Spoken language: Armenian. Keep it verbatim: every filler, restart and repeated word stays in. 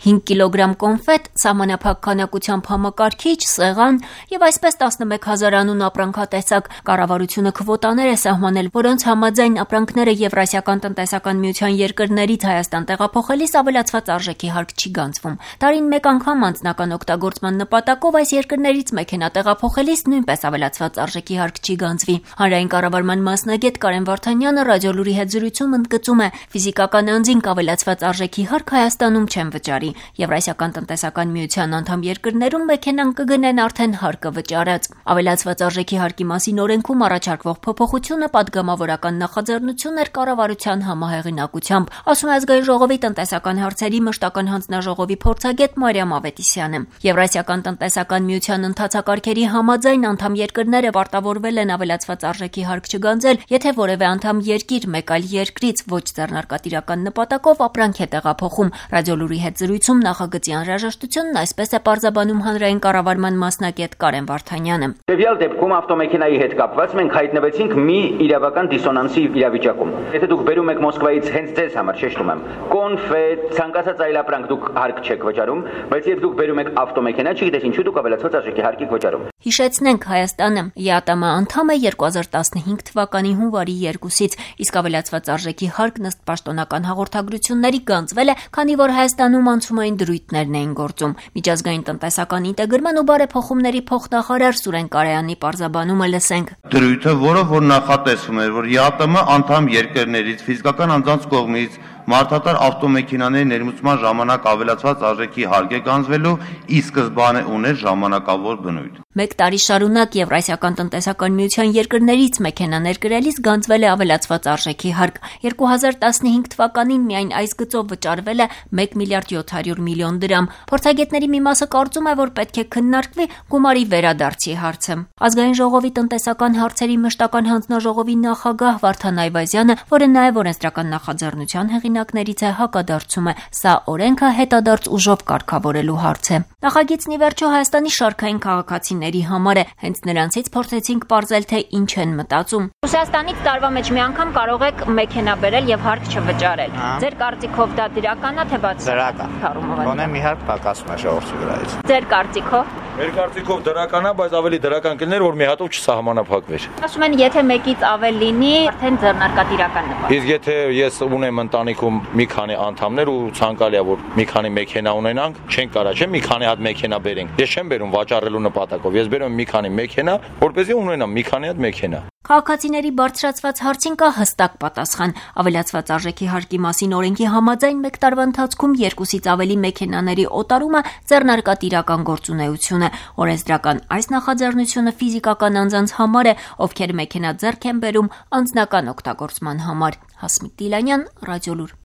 հինգ կիլոգրամ կոնֆետ, սահմանափակ քանակությամբ համակարգիչ, սեղան եւ այսպես տասնմեկ հազար անուն ապրանքատեսակ։ Կառավարությունը քվոտաներ է սահմանել, որոնց համաձայն ապրանքները Եվրասիական տնտեսական միության երկրներից Հայաստան տեղափոխելիս ավելացված արժեքի հարկ չի գանձվում։ Տարին մեկ անգամ անձնական օգտագործման նպատակով այս երկրներից մեքենա տեղափոխելիս նույնպես ավելացված արժեքի հարկ չի գանձվի։ Հանրային կառավարման մասնագետ Կարեն Վարդանյանը Ռադիոլուրի հետ զրույցում ընդգծում է, ֆիզիկական անձին ավելացված արժեքի հարկ Հայաստանում չեն վճարի։ Եվրասիական տնտեսական միության անդամ երկրներում մեքենան կգնեն արդեն հարկը վճարած։ Ավելացված արժեքի հարկի մասին օրենքում առաջարկվող փոփոխությունը պատգամավորական նախաձեռնություն էր կառավարության համահեղինակությամբ, ասում է Ազգային ժողովի տնտեսական հարցերի մշտական հանձնաժողովի փորձագետ Մարիամ Ավետիսյանը։ Եվրասիական տնտեսական միության ընթացակարգերի համաձայն անդամ երկրները պարտավորվել են ավելացված արժեքի հարկ չգանձել, եթե որևէ անդամ երկիր մեկ այլ երկրից ոչ ձեռնարկատիրական նպատակով ապրանք է տեղափոխում։ Ռադիոլուրի հետ զրույցում նախագծի անհրաժեշտությունն այսպես է պարզաբանում հանրային կառավարման մասնագետ Կարեն Վարդանյանը։ Տվյալ դեպքում ավտոմեքենայի հետ կապված մենք հայտնվեցինք մի իրավական դիսոնանսի իրավիճակում։ Եթե դուք բերում եք Մոսկվայից հենց ձեզ համար, շեշտում եմ, կոնֆետ, ցանկացած այլ ապրանք դուք հարկ չեք վճարում, բայց երբ դուք բերում եք ավտոմեքենա, չգիտես ինչու դուք ավելացված արժեքի հարկ եք վճարում։ Հիշեցնենք, Հայաստանը ԵԱՏՄ անդամ է երկու հազար տասնհինգ թվականի հունվարի երկուսից, իսկ ավելացված արժեքի հարկն ըստ պաշտոնական հաղորդագրությունների գանձվել է, քանի որ Հայաստանում անցումային դրույթներն էին գործում։ Միջազգային տնտեսական ինտեգրման ու բարեփոխումների փոխնախարար Սուրեն Կարայանի պարզաբանումը լսենք։ Դրույթը, որը որ նախատեսվում էր, որ ԵԱՏՄ անդամ երկրներից ֆիզիկական անձանց կողմից մարդատար ավտոմեքենաների ներմուծման ժամանակ ավելացված արժեքի հարկ է գանձվելու, ի սկզբանե ուներ ժամանակավոր բնույթ։ Մեկ տարի շարունակ Եվրասիական տնտեսական միության երկրներից մեքենաներ գրելիս գանձվել է ավելացված արժեքի հարկ։ երկու հազար տասնհինգ թվականին միայն այս գծով վճարվել է մեկ միլիարդ յոթ հարյուր միլիոն դրամ։ Փորձագետների մի մասը կարծում է, որ պետք է քննարկվի գումարի վերադարձի հարցը։ Ազգային ժողովի տնտեսական հարցերի մշտական հանձնաժողովի նախագահ Վարդան Այվազյանը, որը նաև օրենսդրական նախաձեռնության հեղինակներից է, հակադարձում է, սա օրենքը հետադարձ ուժով կարգավորելու հարց է։ Նախագիծն ի վերջո Հայաստանի շարքային քաղաքացիների համար է, հենց նրանցից փորձեցինք պարզել, թե ինչ են մտածում։ Ռուսաստանից տարվա մեջ մի անգամ կարող եք մեքենա բերել եւ հարկ չվճարել։ Ձեր կարծիքով դա դրական է, թե բացառական։ Գոնե մի հատ պակասում է ժողովրդի վրայից։ Ձեր կարծիքով։ Մեր կարծիքով դրական է, բայց ավելի դրական կլիներ, որ մի հատով չսահմանափակվեր։ Ասում են, եթե մեկից ավել լինի, արդեն ձեռնարկատիրական նպատակ։ Իսկ եթե ես ունեմ ընտանիքում մի քանի անդամներ ու ցանկալի է, որ մի քանի մեքենա ունենանք, չենք կարա, չէ՞, մի քանի հատ մեքենա բերենք։ Ես չեմ բերում վաճառելու նպատակով, ես բերում եմ մի քանի մեքենա, որպեսզի ունենամ մի քանի հատ մեքենա։ Քաղաքացիների բարձրացված հարցին կա հստակ պատասխան։ Ավելացված արժեքի հարկի մասին օրենքի համաձայն մեկ տարվա ընթացքում երկուսից ավելի մեքենաների օտարումը ձեռնարկատիրական գործունեություն է։ Օրենսդրական այս նախաձեռնությունը ֆիզիկական անձանց համար է, ովքեր մեքենա ձեռք են բերում անձնական օգտագործման համար։ Հասմիկ Դիլանյան, Ռադիոլուր։